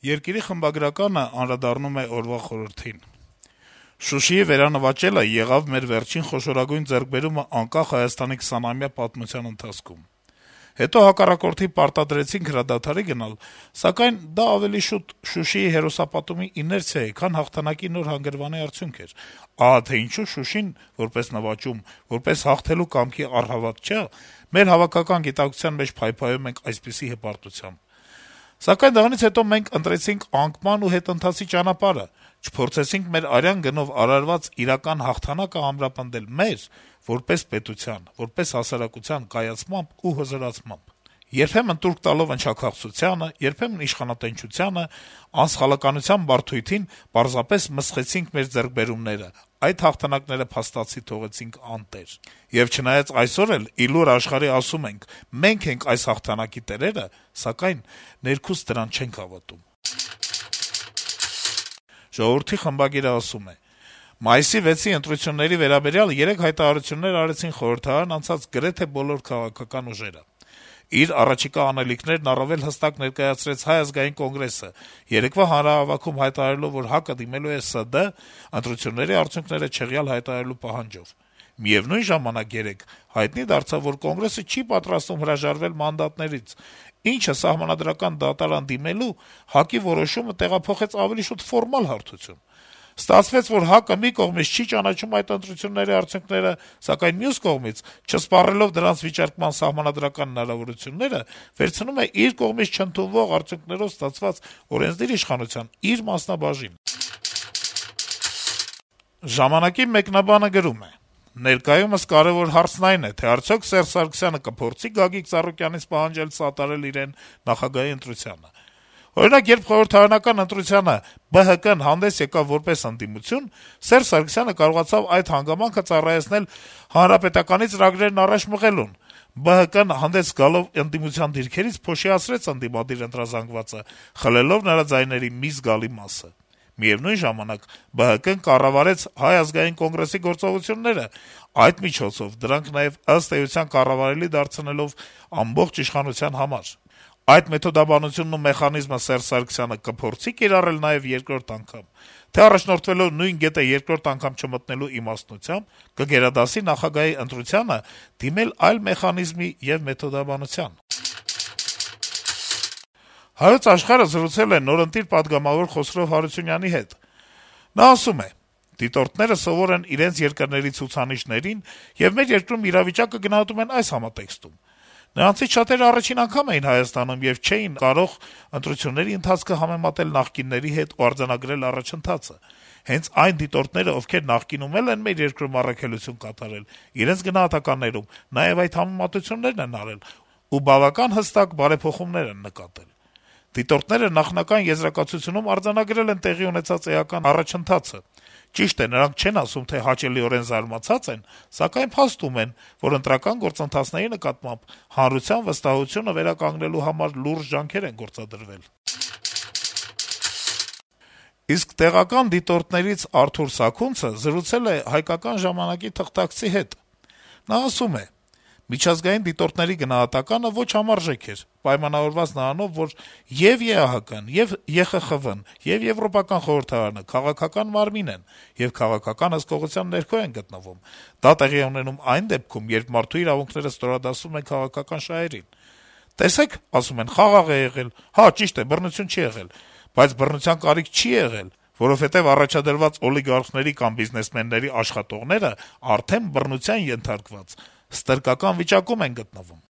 Երկիրի խմբագրականը անդրադառնում է օրվա խորհրդին. - «Շուշիի վերանվաճելը եղավ մեր վերջին խոշորագույն ձեռքբերումը անկախ Հայաստանի 20-ամյա պատմության ընթացքում: Հետո հակառակորդի պարտադրեցինք հրադադարի գնալ, սակայն դա ավելի շուտ Շուշիի հերոսապատումի իներցիա է, քան հաղթանակի նոր հանգրվանի արդյունք էր: Ահա թե ինչու Շուշին, որպես նվաճում, որպես հաղթելու կամքի առհավատ չէ, մեր հավաքական գիտակցության մեջ փայփայում ենք այսպիսի հպարտությամբ: Սակայն դրանից հետո մենք ընտրեցինք անկման ու հետընթացի ճանապարհը, չփորձեցինք մեր արյան գնով արարված իրական հաղթանակը ամրապնդել մեր՝ որպես պետության, որպես հասարակության կայացմամբ ու հզորացմամբ: Երբեմն տուրք տալով ընչաքաղցությանը, երբեմն իշխանատենչությանը, անսխալականության բարդույթին պարզապես մսխեցինք մեր ձեռքբերումները, այդ հաղթանակները փաստացի թողեցինք անտեր: Եվ չնայած այսօր էլ ի լուր աշխարհի ասում ենք՝ մենք ենք այս հաղթանակի տերերը, սակայն ներքուստ դրան չենք հավատում»: «Ժողովուրդ»-ի խմբագիրը ասում է. - «Մայիսի 6-ի ընտրությունների վերաբերյալ 3 հայտարարություններ արեցին խորհրդարան անցած գրեթե բոլոր քաղաքական ուժերը: Իր առաջիկա անելիքներն առավել հստակ ներկայացրեց Հայ ազգային կոնգրեսը, երեկվա հանրահավաքում հայտարարելով, որ ՀԱԿ-ը դիմելու է ՍԴ ընտրությունների արդյունքները չեղյալ հայտարարելու պահանջով: Միեւնույն ժամանակ երեկ հայտնի դարձավ, որ Կոնգրեսը չի պատրաստվում հրաժարվել մանդատներից, ինչը Սահմանադրական դատարան դիմելու ՀԱԿ-ի որոշումը տեղափոխեց ավելի շուտ ֆորմալ հարթություն: Ստացվեց, որ ՀԱԿ-ը մի կողմից չի ճանաչում այդ ընտրությունների արդյունքները, սակայն մյուս կողմից, չսպառելով դրանց վիճարկման սահմանադրական հնարավորությունները, վերցնում է իր կողմից չընդունվող արդյունքներով ստացված օրենսդիր իշխանության իր մասնաբաժինը»: «Ժամանակ»-ի մեկնաբանը գրում է. - «Ներկայումս կարեւոր հարցն այն է, թե արդյոք Սերժ Սարգսյանը կփորձի Գագիկ Ծառուկյանից պահանջել սատարել իրեն նախագահի ընտրությանը: Օրինակ, երբ խորհրդարանական ընտրությանը ԲՀԿ-ն հանդես եկավ որպես ընդդիմություն, Սերժ Սարգսյանը կարողացավ այդ հանգամանքը ծառայեցնել ՀՀԿ-ից ծրագրերն առաջ մղելուն: ԲՀԿ-ն հանդես գալով ընդդիմության դիրքերից փոշիացրեց ընդդիմադիր ընտրազանգվածը, խլելով նրա ձայների մի զգալի մասը: Միեւնույն ժամանակ ԲՀԿ-ն կառավարեց Հայ ազգային կոնգրեսի գործողությունները, այդ միջոցով դրանք նաեւ ըստ էության կառավարելի դարձնելով ամբողջ իշխանության համար: Այդ մեթոդաբանությունն ու մեխանիզմը Սերժ Սարգսյանը կփորձի՞ կիրառել նաեւ երկրորդ անգամ, թե առաջնորդվելով նույն գետը երկրորդ անգամ չմտնելու իմաստնությամբ, կգերադասի նախագահի ընտրությանը դիմել այլ մեխանիզմի եւ մեթոդաբանության»: «Հայոց Աշխարհ»-ը զրուցել է նորընտիր պատգամավոր Խոսրով Հարությունյանի հետ: Նա ասում է. - «Դիտորդները սովոր են իրենց երկրների ցուցանիշներին եւ մեր երկրում իրավիճակը գնահատում են այս համատեքստում: Նրանցից շատերը առաջին անգամ էին Հայաստանում եւ չէին կարող ընտրությունների ընթացքը համեմատել նախկինների հետ ու արձանագրել առաջընթացը: Հենց այն դիտորդները, ովքեր նախկինում էլ են մեր երկրում առաքելություն կատարել, իրենց գնահատականներում նաեւ այդ համեմատություններն են արել ու բավական հստակ բարեփոխումներ են նկատել: Դիտորդները նախնական եզրակացությունում արձանագրել են տեղի ունեցած էական առաջընթացը: Ճիշտ է, նրանք չեն ասում, թե հաճելիորեն զարմացած են, սակայն փաստում են, որ ընտրական գործընթացների նկատմամբ հանրության վստահությունը վերականգնելու համար լուրջ ջանքեր են գործադրվել»: Իսկ տեղական դիտորդներից Արթուր Սաքունցը զրուցել է «Հայկական ժամանակ»-ի թղթակցի հետ: Նա ասում է. - «Միջազգային դիտորդների գնահատականը ոչ համարժեք էր, պայմանավորված նրանով, որ ե'ւ ԵԱՀԿ-ն, ե'ւ ԵԽԽՎ-ն, ե'ւ Եվրոպական խորհրդարանը քաղաքական մարմին են եւ քաղաքական հսկողության ներքո են գտնվում: Դա տեղի է ունենում այն դեպքում, երբ մարդու իրավունքները ստորադասվում են քաղաքական շահերին: Տեսեք, ասում են, խաղաղ է եղել: Հա, ճիշտ է, բռնություն չի եղել: Բայց բռնության կարիք չի եղել, որովհետեւ առաջադրված օլիգարխների կամ բիզնեսմենների աշխատողները արդեն բռնության ենթարկված, ստրկական վիճակում են գտնվում»: